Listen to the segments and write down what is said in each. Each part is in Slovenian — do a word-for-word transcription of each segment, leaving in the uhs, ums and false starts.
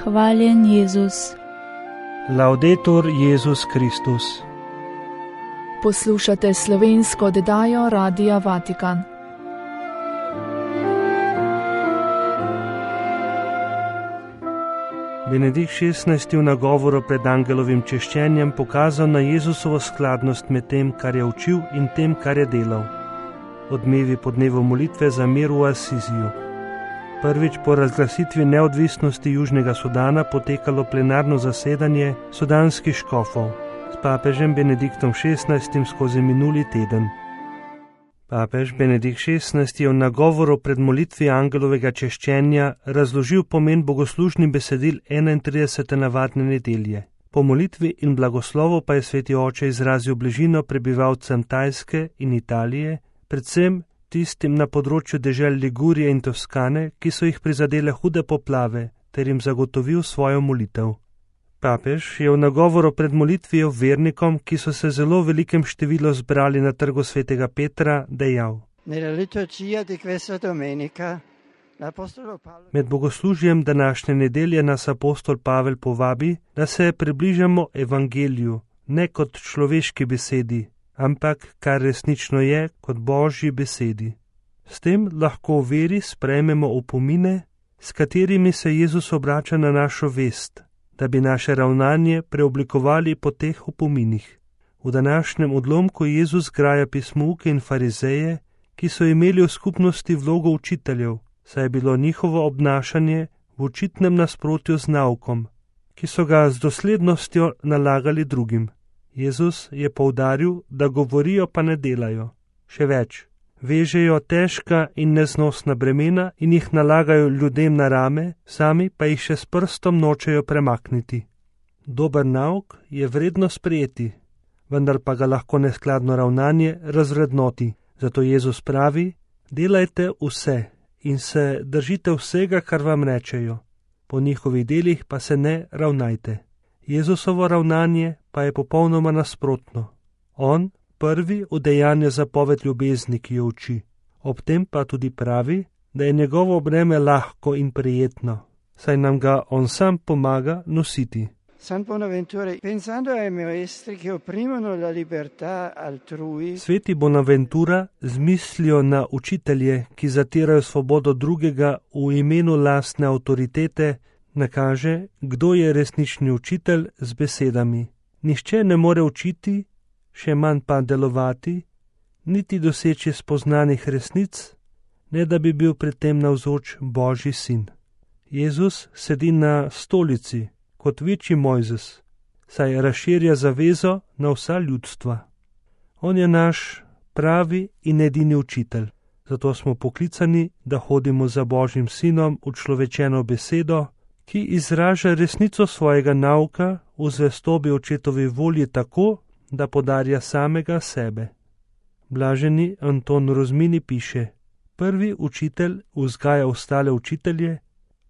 Hvaljen Jezus. Laudetur Jezus Kristus. Poslušate slovensko oddajo Radia Vatikan. Benedikt šestnajsti v nagovoru pred angelovim češčenjem pokazal na Jezusovo skladnost med tem, kar je učil, in tem, kar je delal. Odmevi po dnevu molitve za mir v Asiziju. Prvič po razglasitvi neodvisnosti Južnega Sudana potekalo plenarno zasedanje sudanskih škofov s papežem Benediktom šestnajstim skozi minuli teden. Papež Benedikt šestnajsti je v nagovoru pred molitvi angelovega češčenja razložil pomen bogoslužnih besedil enaintridesete navadne nedelje. Po molitvi in blagoslovu pa je sveti oče izrazil bližino prebivalcem Tajske in Italije, predvsem tistim na področju dežel Ligurije in Toskane, ki so jih prizadele hude poplave, ter jim zagotovil svojo molitev. Papež je v nagovoru pred molitvijo vernikom, ki so se zelo velikem številu zbrali na trgu svetega Petra, dejal: Med bogoslužjem današnje nedelje nas apostol Pavel povabi, da se približamo evangeliju, ne kot človeški besedi, ampak kar resnično je, kot Božji besedi. S tem lahko v veri sprejmemo opomine, s katerimi se Jezus obrača na našo vest, da bi naše ravnanje preoblikovali po teh opominih. V današnjem odlomku Jezus graja pismouke in farizeje, ki so imeli v skupnosti vlogo učiteljev, saj je bilo njihovo obnašanje v očitnem nasprotju z naukom, ki so ga z doslednostjo nalagali drugim. Jezus je poudaril, da govorijo pa ne delajo. Še več, vežejo težka in neznosna bremena in jih nalagajo ljudem na rame, sami pa jih še s prstom nočejo premakniti. Dober nauk je vredno sprejeti, vendar pa ga lahko neskladno ravnanje razvrednoti. Zato Jezus pravi: delajte vse in se držite vsega, kar vam rečejo, po njihovih delih pa se ne ravnajte. Jezusovo ravnanje pa je popolnoma nasprotno. On prvi udejanja zapoved ljubezni, ki jo uči. Ob tem pa tudi pravi, da je njegovo breme lahko in prijetno, saj nam ga on sam pomaga nositi. Sveti Bonaventura z mislijo na učitelje, ki zatirajo svobodo drugega v imenu lastne avtoritete, nakaže, kdo je resnični učitelj z besedami. Nihče ne more učiti, še manj pa delovati, niti doseči spoznanih resnic, ne da bi bil pri tem navzoč Božji sin. Jezus sedi na stolici kot večji Mojzes, saj razširja zavezo na vsa ljudstva. On je naš pravi in edini učitelj, zato smo poklicani, da hodimo za Božjim sinom v človečeno besedo, ki izraža resnico svojega nauka v zvestobi očetovi volji tako, da podarja samega sebe. Blaženi Anton Rozmini piše: prvi učitelj vzgaja ostale učitelje,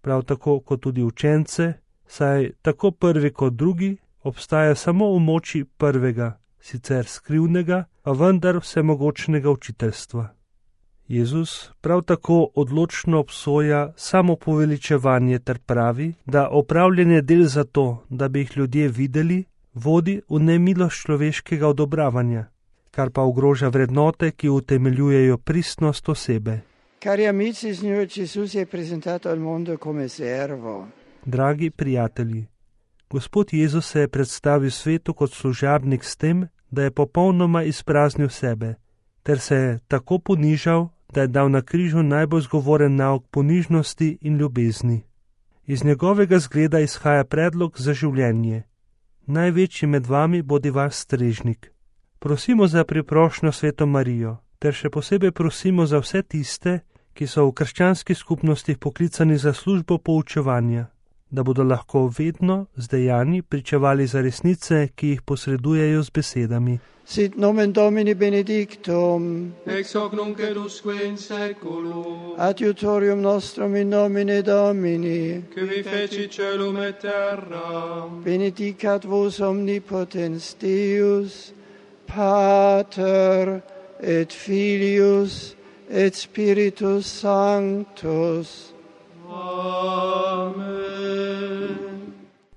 prav tako kot tudi učence, saj tako prvi kot drugi obstaja samo v moči prvega, sicer skrivnega, a vendar vsemogočnega učiteljstva. Jezus prav tako odločno obsoja samopoveličevanje ter pravi, da opravljanje del za to, da bi jih ljudje videli, vodi v nemilost človeškega odobravanja, kar pa ogroža vrednote, ki utemeljujejo pristnost osebe. Dragi prijatelji, Gospod Jezus se je predstavil svetu kot služabnik s tem, da je popolnoma izpraznil sebe, ter se je tako ponižal, da je dal na križu najbolj zgovoren nauk ponižnosti in ljubezni. Iz njegovega zgleda izhaja predlog za življenje. Največji med vami bodi vaš strežnik. Prosimo za priprošnjo Sveto Marijo, ter še posebej prosimo za vse tiste, ki so v krščanskih skupnostih poklicani za službo poučevanja, da bodo lahko vedno z dejanji pričevali za resnice, ki jih posredujejo z besedami. Sit nomen Domini benedictum, ex hoc nunc et usque in saeculum, adiutorium nostrum in nomine Domini, qui vi feci celum et terra, benedicat vos omnipotens Deus, Pater et Filius et Spiritus Sanctus. Amen.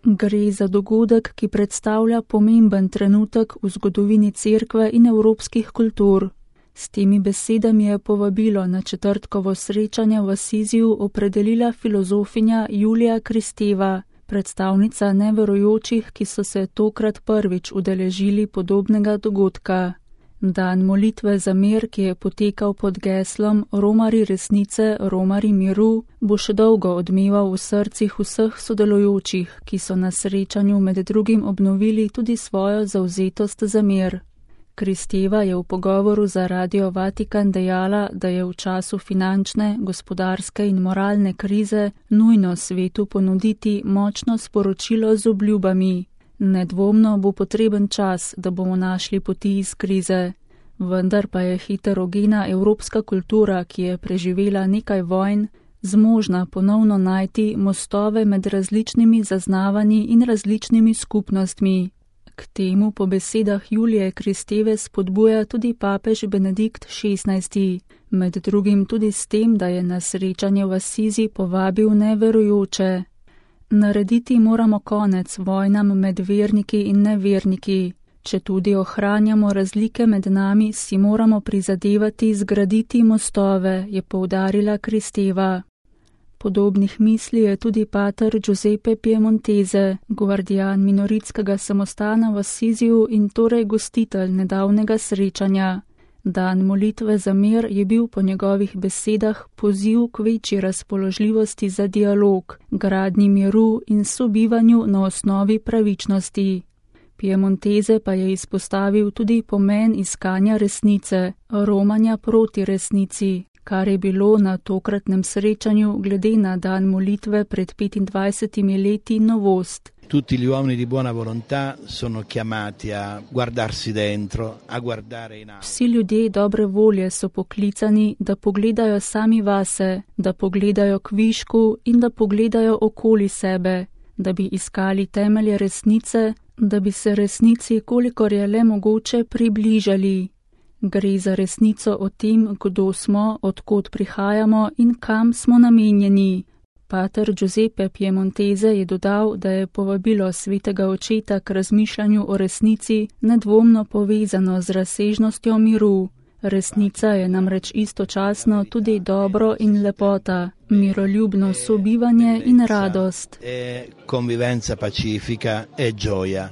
Gre za dogodek, ki predstavlja pomemben trenutek v zgodovini cerkve in evropskih kultur. S temi besedami je povabilo na četrtkovo srečanje v Asiziju opredelila filozofinja Julija Kristeva, predstavnica neverujočih, ki so se tokrat prvič udeležili podobnega dogodka. Dan molitve za mir, ki je potekal pod geslom Romari resnice, Romari miru, bo še dolgo odmeval v srcih vseh sodelujočih, ki so na srečanju med drugim obnovili tudi svojo zavzetost za mir. Kristeva je v pogovoru za Radio Vatikan dejala, da je v času finančne, gospodarske in moralne krize nujno svetu ponuditi močno sporočilo z obljubami. Nedvomno bo potreben čas, da bomo našli poti iz krize. Vendar pa je heterogena evropska kultura, ki je preživela nekaj vojn, zmožna ponovno najti mostove med različnimi zaznavanji in različnimi skupnostmi. K temu po besedah Julije Kristeve spodbuja tudi papež Benedikt šestnajsti, med drugim tudi s tem, da je na srečanje v Asizi povabil neverujoče. Narediti moramo konec vojnam med verniki in neverniki. Če tudi ohranjamo razlike med nami, si moramo prizadevati zgraditi mostove, je poudarila Kristeva. Podobnih misli je tudi pater Giuseppe Piemontese, guardian minoritskega samostana v Asiziju in torej gostitelj nedavnega srečanja. Dan molitve za mir je bil po njegovih besedah poziv k večji razpoložljivosti za dialog, gradnji miru in sobivanju na osnovi pravičnosti. Piemontese pa je izpostavil tudi pomen iskanja resnice, romanja proti resnici, kar je bilo na tokratnem srečanju glede na dan molitve pred petindvajsetimi leti novost. Tutti gli uomini di buona volontà sono chiamati a guardarsi dentro, a guardare in alto. Vsi ljudje dobre volje so poklicani, da pogledajo sami vase, da pogledajo k višku in da pogledajo okoli sebe, da bi iskali temelje resnice, da bi se resnici, kolikor je le mogoče, približali. Gre za resnico o tem, kdo smo, odkot prihajamo in kam smo namenjeni. Pater Giuseppe Piemontese je dodal, da je povabilo svetega očeta k razmišljanju o resnici nedvomno povezano z razsežnostjo miru. Resnica je namreč istočasno tudi dobro in lepota, miroljubno sobivanje in radost. Convivenza pacifica e gioia.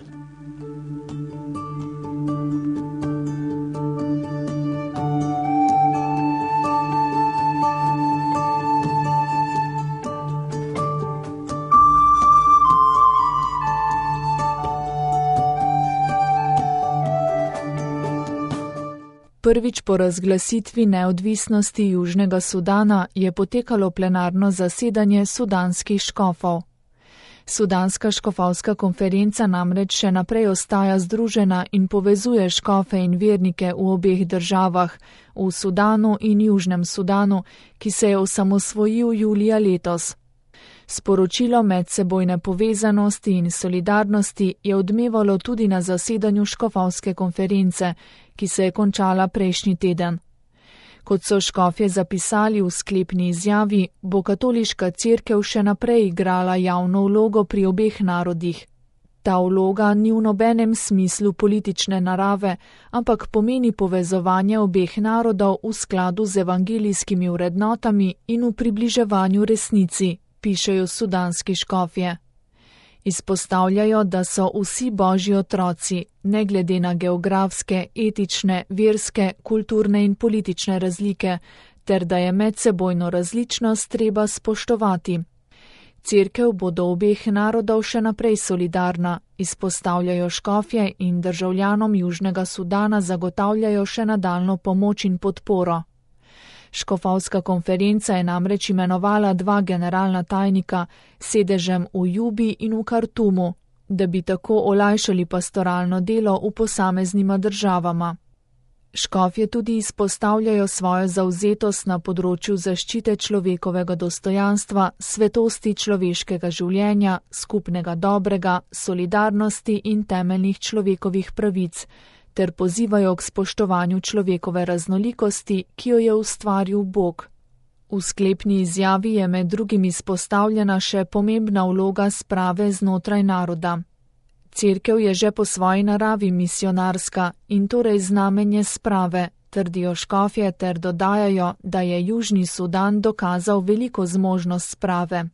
Prvič po razglasitvi neodvisnosti Južnega Sudana je potekalo plenarno zasedanje sudanskih škofov. Sudanska škofovska konferenca namreč še naprej ostaja združena in povezuje škofe in vernike v obeh državah, v Sudanu in Južnem Sudanu, ki se je osamosvojil julija letos. Sporočilo medsebojne povezanosti in solidarnosti je odmevalo tudi na zasedanju škofovske konference, ki se je končala prejšnji teden. Kot so škofje zapisali v sklepni izjavi, bo katoliška cerkev še naprej igrala javno vlogo pri obeh narodih. Ta vloga ni v nobenem smislu politične narave, ampak pomeni povezovanje obeh narodov v skladu z evangelijskimi vrednotami in v približevanju resnici, pišejo sudanski škofje. Izpostavljajo, da so vsi božji otroci, ne glede na geografske, etične, verske, kulturne in politične razlike, ter da je medsebojno različnost treba spoštovati. Cerkev bo do obeh narodov še naprej solidarna, izpostavljajo škofje in državljanom Južnega Sudana zagotavljajo še nadaljnjo pomoč in podporo. Škofovska konferenca je namreč imenovala dva generalna tajnika sedežem v Jubi in v Kartumu, da bi tako olajšali pastoralno delo v posameznima državama. Škofje tudi izpostavljajo svojo zavzetost na področju zaščite človekovega dostojanstva, svetosti človeškega življenja, skupnega dobrega, solidarnosti in temeljnih človekovih pravic, ter pozivajo k spoštovanju človekove raznolikosti, ki jo je ustvaril Bog. V sklepni izjavi je med drugim izpostavljena še pomembna vloga sprave znotraj naroda. Cerkev je že po svoji naravi misionarska in torej znamenje sprave, trdijo škofje ter dodajajo, da je Južni Sudan dokazal veliko zmožnost sprave.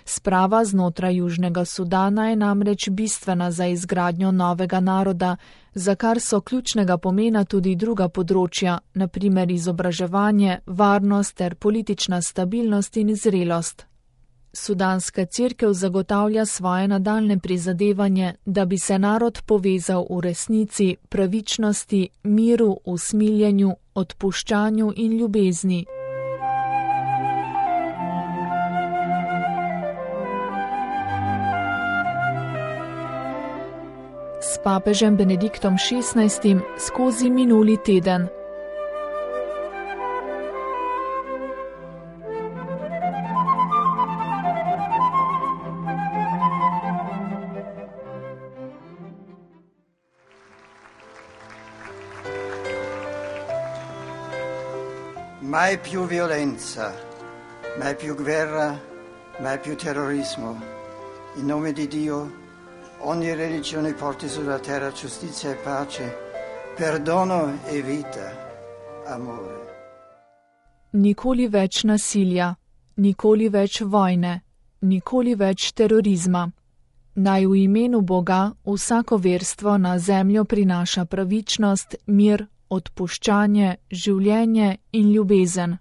Sprava znotraj Južnega Sudana je namreč bistvena za izgradnjo novega naroda, za kar so ključnega pomena tudi druga področja, na primer izobraževanje, varnost ter politična stabilnost in zrelost. Sudanska cerkev zagotavlja svoje nadaljne prizadevanje, da bi se narod povezal v resnici, pravičnosti, miru, usmiljenju, odpuščanju in ljubezni. S papežem Benediktom šestnajstim skozi minuli teden. Mai più violenza, mai più guerra, mai più terrorismo. In nome di Dio, ogni religione porti sulla terra giustizia e pace, perdono e vita, amore. Nikoli več nasilja, nikoli več vojne, nikoli več terorizma. Naj v imenu Boga vsako verstvo na zemljo prinaša pravičnost, mir, odpuščanje, življenje in ljubezen.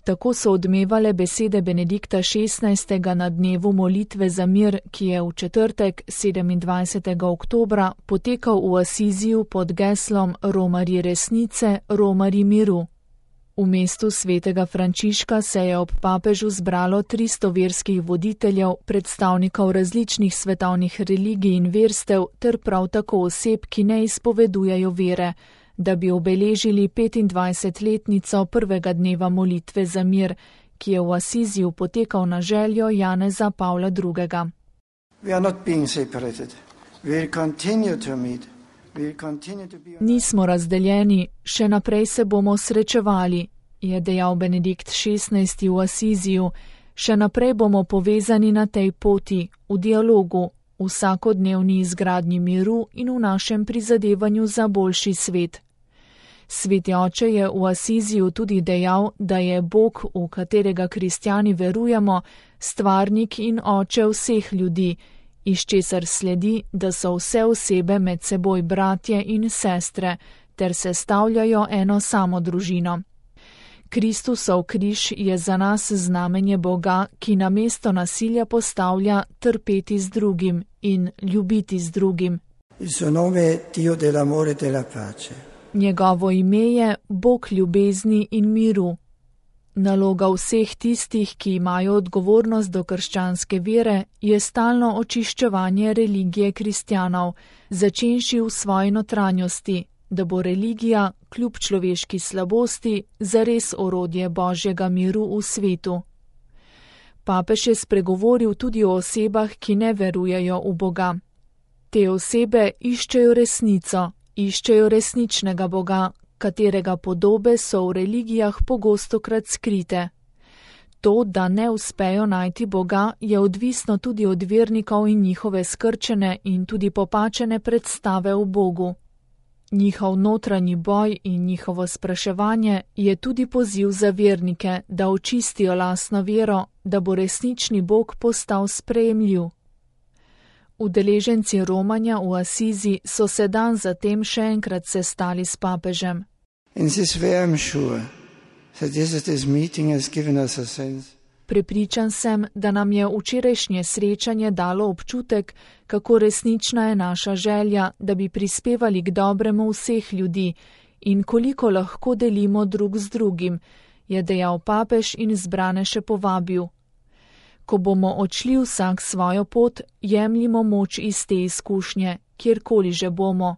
Tako so odmevale besede Benedikta šestnajstega na dnevu molitve za mir, ki je v četrtek, sedemindvajsetega oktobra, potekal v Asiziju pod geslom Romarji resnice, Romarji miru. V mestu svetega Frančiška se je ob papežu zbralo tristo verskih voditeljev, predstavnikov različnih svetovnih religij in verstev ter prav tako oseb, ki ne izpovedujejo vere, da bi obeležili petindvajsetletnico prvega dneva molitve za mir, ki je v Asiziju potekal na željo Janeza Pavla drugega. Nismo razdeljeni, še naprej se bomo srečevali, je dejal Benedikt šestnajsti v Asiziju, še naprej bomo povezani na tej poti, v dialogu, v vsakodnevni izgradnji miru in v našem prizadevanju za boljši svet. Sveti oče je v Asiziju tudi dejal, da je Bog, v katerega kristjani verujemo, stvarnik in oče vseh ljudi, iz česar sledi, da so vse osebe med seboj bratje in sestre, ter sestavljajo eno samo družino. Kristusov križ je za nas znamenje Boga, ki namesto nasilja postavlja trpeti z drugim in ljubiti z drugim. Njegovo ime je Bog ljubezni in miru. Naloga vseh tistih, ki imajo odgovornost do krščanske vere, je stalno očiščevanje religije kristjanov, začenši v svoji notranjosti, da bo religija, kljub človeški slabosti, zares orodje Božjega miru v svetu. Papež je spregovoril tudi o osebah, ki ne verujejo v Boga. Te osebe iščejo resnico, iščejo resničnega Boga, katerega podobe so v religijah pogostokrat skrite. To, da ne uspejo najti Boga, je odvisno tudi od vernikov in njihove skrčene in tudi popačene predstave o Bogu. Njihov notranji boj in njihovo spraševanje je tudi poziv za vernike, da očistijo lastno vero, da bo resnični Bog postal sprejemljiv. Udeleženci romanja v Asizi so se dan zatem še enkrat sestali s papežem. Prepričan sem, da nam je včerajšnje srečanje dalo občutek, kako resnična je naša želja, da bi prispevali k dobremu vseh ljudi in koliko lahko delimo drug z drugim, je dejal papež in zbrane še povabil. Ko bomo odšli vsak svojo pot, jemljimo moč iz te izkušnje, kjerkoli že bomo.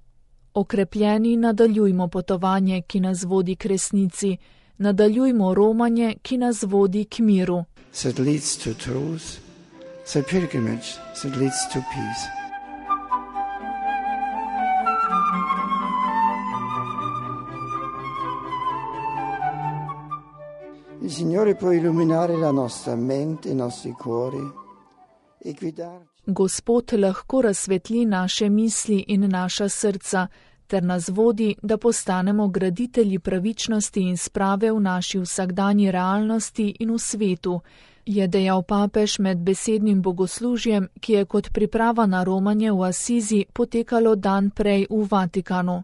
Okrepljeni nadaljujmo potovanje, ki nas vodi k resnici, nadaljujmo romanje, ki nas vodi k miru. That leads to truth, the pilgrimage that leads to peace. Il Signore può illuminare la nostra mente, i nostri cuori e guidarci. Gospod lahko razsvetli naše misli in naša srca, ter nas vodi, da postanemo graditelji pravičnosti in sprave v naši vsakdanji realnosti in v svetu, je dejal papež med besednim bogoslužjem, ki je kot priprava na romanje v Asizi potekalo dan prej v Vatikanu.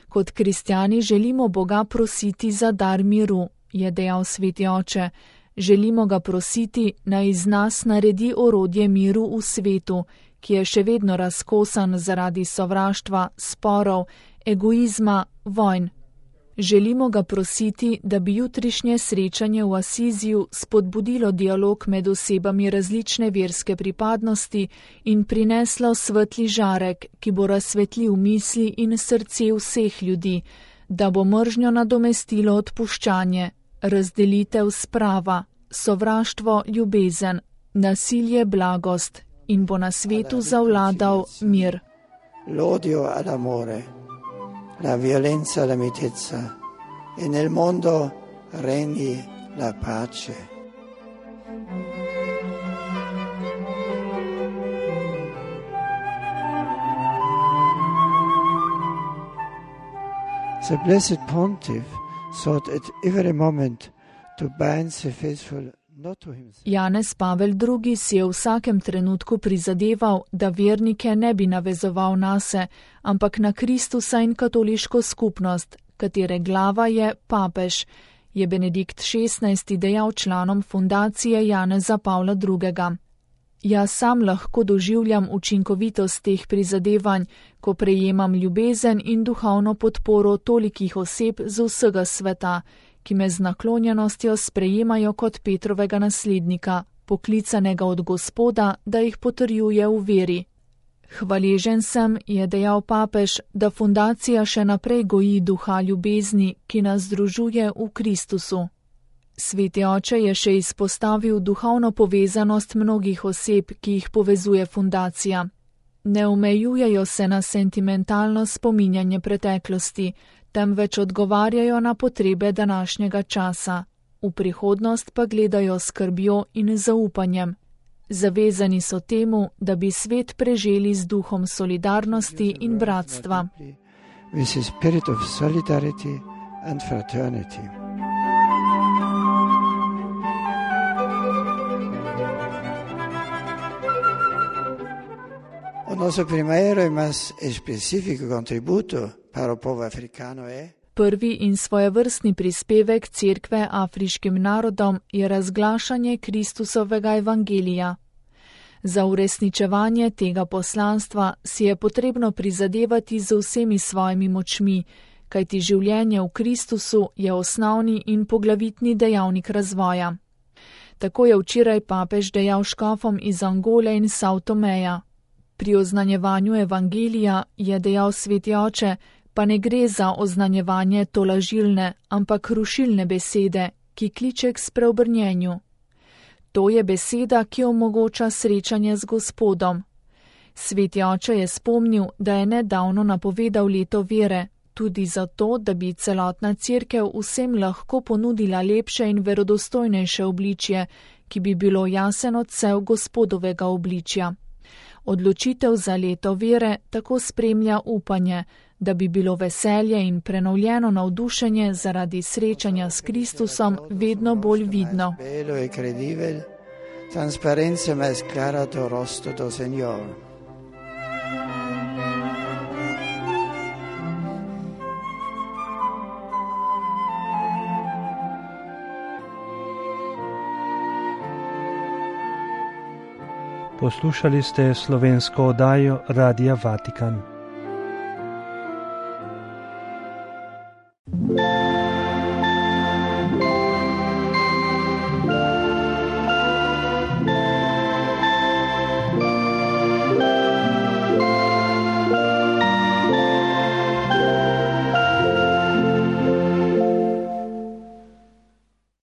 Kot kristjani želimo Boga prositi za dar miru, je dejal sveti oče. Želimo ga prositi, naj iz nas naredi orodje miru v svetu, ki je še vedno razkosan zaradi sovraštva, sporov, egoizma, vojn. Želimo ga prositi, da bi jutrišnje srečanje v Asiziju spodbudilo dialog med osebami različne verske pripadnosti in prineslo svetli žarek, ki bo razsvetlil misli in srce vseh ljudi, da bo mržnjo nadomestilo odpuščanje, razdelitev sprava, sovraštvo ljubezen, nasilje blagost in bo na svetu zavladal mir. L'odio all'amore, la violenza alla mitezza e nel mondo regni la pace. The blessed pontiff sought at every moment to bind the faithful. Janez Pavel drugi si je v vsakem trenutku prizadeval, da vernike ne bi navezoval nase, ampak na Kristusa in katoliško skupnost, katere glava je papež, je Benedikt šestnajsti dejal članom fundacije Janeza Pavla drugega. Jaz sam lahko doživljam učinkovitost teh prizadevanj, ko prejemam ljubezen in duhovno podporo tolikih oseb z vsega sveta, ki me z naklonjenostjo sprejemajo kot Petrovega naslednika, poklicanega od Gospoda, da jih potrjuje v veri. Hvaležen sem, je dejal papež, da fundacija še naprej goji duha ljubezni, ki nas združuje v Kristusu. Sveti oče je še izpostavil duhovno povezanost mnogih oseb, ki jih povezuje fundacija. Ne omejujejo se na sentimentalno spominjanje preteklosti, temveč odgovarjajo na potrebe današnjega časa, v prihodnost pa gledajo s skrbjo in zaupanjem. Zavezani so temu, da bi svet preželi z duhom solidarnosti in bratstva. With the spirit of solidarity and fraternity. Il nostro primario e más específico contributo para el pueblo africano è Prvi in svojevrstni prispevek Cerkve afriškim narodom je razglašanje Kristusovega evangelija. Za uresničevanje tega poslanstva si je potrebno prizadevati z vsemi svojimi močmi, kajti življenje v Kristusu je osnovni in poglavitni dejavnik razvoja. Tako je včeraj papež dejal škofom iz Angole in Sao Tomeja. Pri oznanjevanju evangelija, je dejal sveti oče, pa ne gre za oznanjevanje tolažilne, ampak rušilne besede, ki kliče k spreobrnjenju. To je beseda, ki omogoča srečanje z Gospodom. Sveti oče je spomnil, da je nedavno napovedal leto vere, tudi zato, da bi celotna cerkev vsem lahko ponudila lepše in verodostojnejše obličje, ki bi bilo jasen odsev Gospodovega obličja. Odločitev za leto vere tako spremlja upanje, da bi bilo veselje in prenovljeno navdušenje zaradi srečanja s Kristusom vedno bolj vidno. Poslušali ste slovensko oddajo Radia Vatikan.